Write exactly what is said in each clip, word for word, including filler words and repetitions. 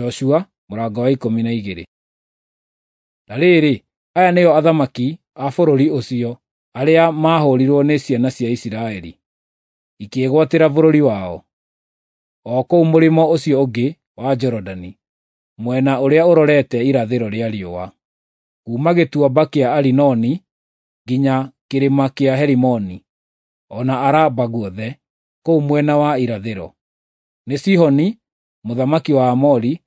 Joshua mũrango wa ikũmi na igĩrĩ. Na rĩrĩ, aya nĩo athamaki a bũrũri ũcio arĩa maahũrirwo nĩ ciana cia Isiraeli, ikĩĩgwatĩra bũrũri wao, o kũu mũrĩmo ũcio ũngĩ wa Jorodani, mwena ũrĩa ũrorete irathĩro rĩa riũa, kuuma gĩtuamba kĩa Arinoni nginya kĩrĩma kĩa Herimoni, o na Araba guothe kũu mwena wa irathĩro. Nĩ Sihoni mũthamaki wa Aamori,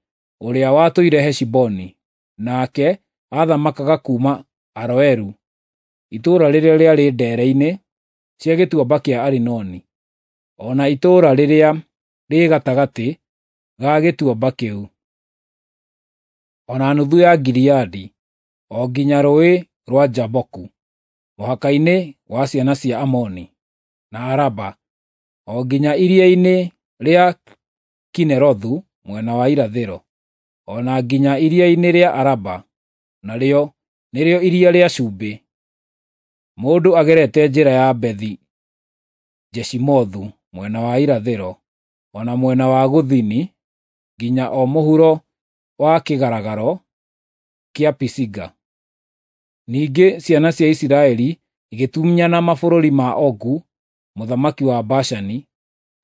ũrĩa watũire Heshiboni, nake aathamakaga kuuma Aroeru, itũũra rĩrĩa rĩarĩ ndeere-inĩ cia gĩtuamba kĩa Arinoni, o na itũũra rĩrĩa rĩ gatagatĩ ga gĩtuamba kĩu, o na nuthu ya Gileadi, o nginya Rũũĩ rwa Jaboku, mũhaka-inĩ wa ciana cia Amoni, na Araba, o nginya iria-inĩ rĩa Kinerothu mwena wa irathĩro, o na nginya iria-inĩ rĩa Araba, narĩo nĩrĩo Iria rĩa Cumbĩ, mũndũ agerete njĩra ya Bethi-Jeshimothu mwena wa irathĩro, o na mwena wa gũthini, nginya o mũhuro wa kĩgaragaro kĩa Pisiga. Ningĩ ciana cia Isiraeli igĩtunyana mabũrũri ma Ogu mũthamaki wa Bashani,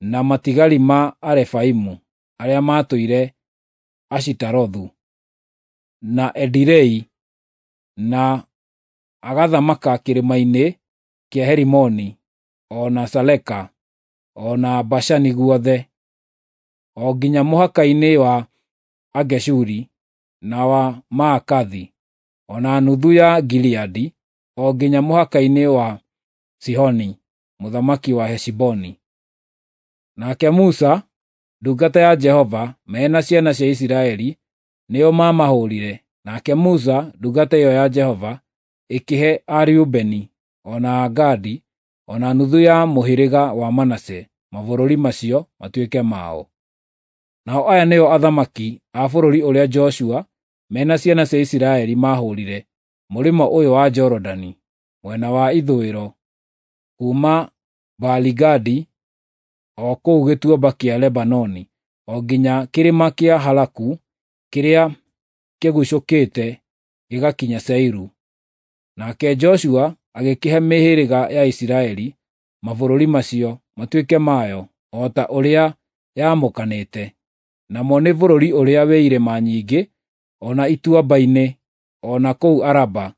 na matigari ma Arefaimu arĩa maatũire Ashitarothu, na Edirei, na agathamaka kĩrĩma-inĩ kĩa Herimoni, o na Saleka, o na Bashani guothe, o nginya mũhaka-inĩ wa Ageshuri na wa Maakathi, o na nuthu ya Gileadi, o nginya mũhaka-inĩ wa Sihoni mũthamaki wa Heshiboni. Nake Musa ndungata ya Jehova me na ciana cia Isiraeli nĩo maamahũũrire. Nake Musa ndungata ĩyo ya Jehova ĩkĩhe Areubeni, o na Agadi, o na nuthu ya mũhĩrĩga wa Manase mabũrũri macio matuĩke mao. Nao aya nĩo athamaki a bũrũri ũrĩa Joshua me na ciana cia Isiraeli maahũũrire mũrĩmo ũyũ wa Jorodani, mwena wa ithũĩro, kuuma Baali-Gadi o kũu gĩtuamba kĩa Lebanoni, o nginya kĩrĩma kĩa Halaku kĩrĩa kĩgucũkĩte gĩgakinya Seiru. Nake Joshua agĩkĩhe mĩhĩrĩga ya Isiraeli mabũrũri macio matuĩke mayo o ta ũrĩa yaamũkanĩte, namo nĩ bũrũri ũrĩa wĩ irĩma nyingĩ, o na ituamba-inĩ, o na kũu Araba,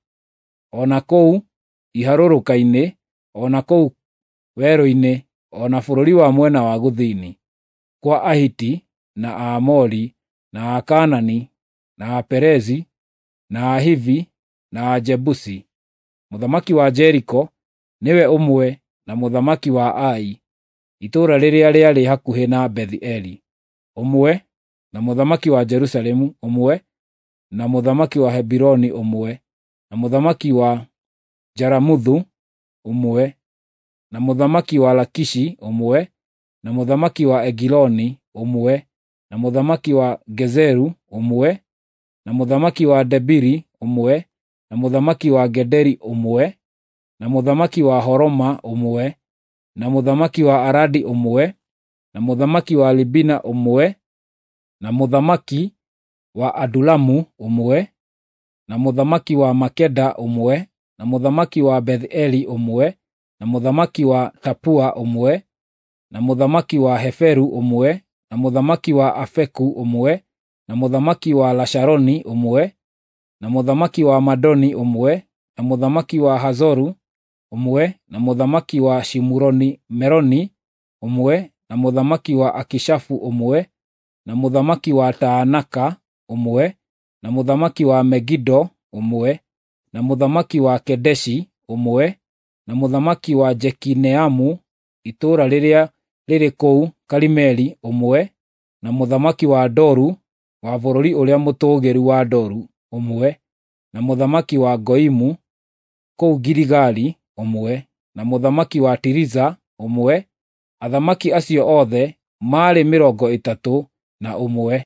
o na kũu iharũrũka-inĩ, o na kũu werũ-inĩ, o na bũrũri wa mwena wa gũthini, kwa Ahiti, na Aamori, na Akaanani, na Aperezi, na Ahivi, na Ajebusi. Mũthamaki wa Jeriko nĩwe ũmwe na mũthamaki wa Ai, itũũra rĩrĩa rĩarĩ hakuhĩ na Bethi-Eli, ũmwe, na mũthamaki wa Jerusalemu ũmwe, na mũthamaki wa Hebironi ũmwe, na mũthamaki wa Jaramuthu ũmwe, na mũthamaki wa Lakishi ũmwe, na mũthamaki wa Egiloni ũmwe, na mũthamaki wa Gezeru ũmwe, na mũthamaki wa Debiri ũmwe, na mũthamaki wa Gederi ũmwe, na mũthamaki wa Horoma ũmwe, na mũthamaki wa Aradi ũmwe, na mũthamaki wa Libina ũmwe, na mũthamaki wa Adulamu ũmwe, na mũthamaki wa Makeda ũmwe, na mũthamaki wa Beth-Eli ũmwe, na mũthamaki wa Tapua ũmwe, na mũthamaki wa Heferu ũmwe, na mũthamaki wa Afeku ũmwe, na mũthamaki wa Lasharoni ũmwe, na mũthamaki wa Madoni ũmwe, na mũthamaki wa Hazoru ũmwe, na mũthamaki wa Shimuroni-Meroni ũmwe, na mũthamaki wa Akishafu ũmwe, na mũthamaki wa Taanaka ũmwe, na mũthamaki wa Megido ũmwe, na mũthamaki wa Kedeshi ũmwe, na mũthamaki wa Jekineamu itũũra rĩrĩa rĩrĩ kũu Karimeli ũmwe, na mũthamaki wa Doru wa bũrũri ũrĩa mũtũũgĩru wa Doru ũmwe, na mũthamaki wa Goimu kũu Giligali ũmwe, na mũthamaki wa Tiriza ũmwe. Athamaki acio othe maarĩ mĩrongo ĩtatũ na ũmwe.